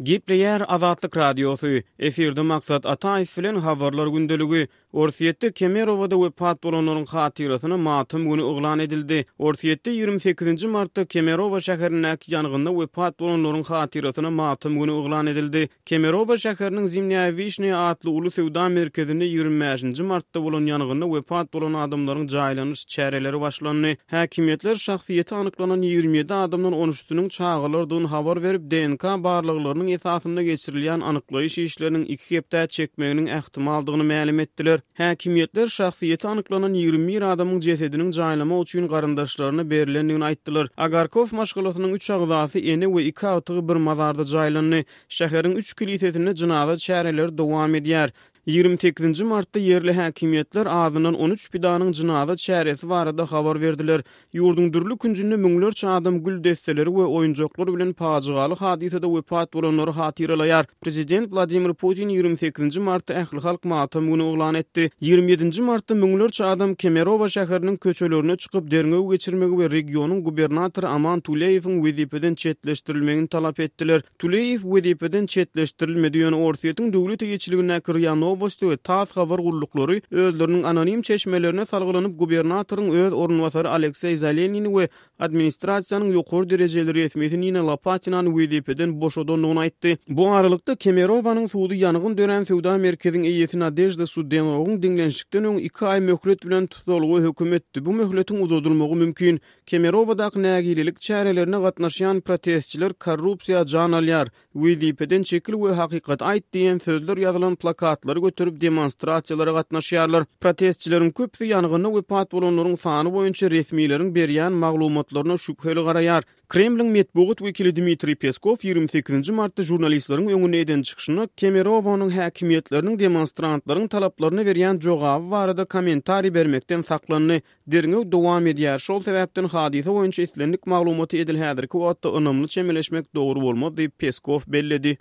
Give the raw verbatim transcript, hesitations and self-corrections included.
Gepleýär Azatlyk Radiosy, efirde Maksat Ataýew bilen Habarlar gündeligi. Orsýetde Kemerowada wepat bolanlaryň hatyrasyna matam güni yglan edildi. Orsýetde ýigrimi sekizinji martda Kemerowa şäherindäki ýangynda wepat bolanlaryň hatyrasyna matam güni yglan edildi. Kemerowa şäheriniň Zimnýaýa Wişnýa atly uly söwda merkezinde ýigrimi bäşinji martda bolan ýangynda wepat bolan adamlaryň jaýlanyş çäreleri başlandy. Häkimiýetler şahsyýeti anyklanan ýigrimi ýedi adamdan on üçüsiniň çagalardygyny habar berip, D N K barlaglarynyň esasynda geçirilýän anyklaýyş işleriniň iki hepdä çekmeginiň ähtimaldygyny mälim etdiler. Häkimiýetler şahsyýeti anyklanan ýigrimi bir adamyň jesediniň jaýlamak üçin garyndaşlaryna berilendigini aýtdylar. Agarkow maşgalasynyň üç agzasy, ene we iki agtygy bir mazarda jaýlandy. Şäheriň üç kilisesinde jynaza çäreleri dowam edýär. Ýigrimi sekizinji martda ýerli häkimiýetler azyndan on üç pidanyň jynaza çäresi barada habar berdiler. Ýurduň dürli künjünde müňlerçe adam gül desseleri we oýunjaklar bilen pajygaly hadysada wepat bolanlary hatyralaýar. Prezident Wladimir Putin ýigrimi sekizinji martda ählihalk matam güni yglan etdi. Ýigrimi ýedinji martda müňlerçe adam Kemerowa şäheriniň köçelerine çykyp derňew geçirmegi we regionyň gubernatory Aman Tuleýewiň wezipeden çetleşdirilmegini talap etdiler. Tuleýew wezipeden çetleşdirilmedi, ýöne Orsýetiň döwlet eýeçiligindäki R I A Novosti we TASS habar gulluklary özleriniň anonim çeşmelerine salgylanyp gubernatoryň öz orunbasary Alekseý Zelenini we administrasiýanyň ýokary derejeli resmisi Nina Lopatinany wezipeden boşadandygyny aýtdy. Bu aralykda Kemerowanyň sudy ýangyn dörän söwda merkeziň eýesi Nadejda Sudenowyň diňlenişikden öň iki aý möhlet bilen tussaglyga höküm etdi. Bu möhletiň uzadylmagy mümkin. Kemerowadaky nägilelik çärelerine gatnaşýan protestçiler korrupsiýa jan alýar, wezipeden çekil we hakykat aýt diýen sözler ýazylan plakatlary göterip demonstrasiýalara gatnaşýarlar. Protestçileriň köpüsi ýangynda wepat bolanlaryň sany boýunça resmileriň berýän maglumatlaryna şübheli garaýar. Kremliň metbugat wekili Dmitriý Peskow ýigrimi sekizinji martda žurnalistleriň öňünde eden çykyşynda Kemerowanyň häkimiýetleriniň demonstrantlaryň talaplaryna berýän jogaby barada kommentariý bermekden saklandy. Derňew dowam edýär. Şol sebäpden hadysa boýunça islendik maglumaty edil häzirki wagtda ynamly çemeleşmek dogry bolmaz diýip Peskow belledi.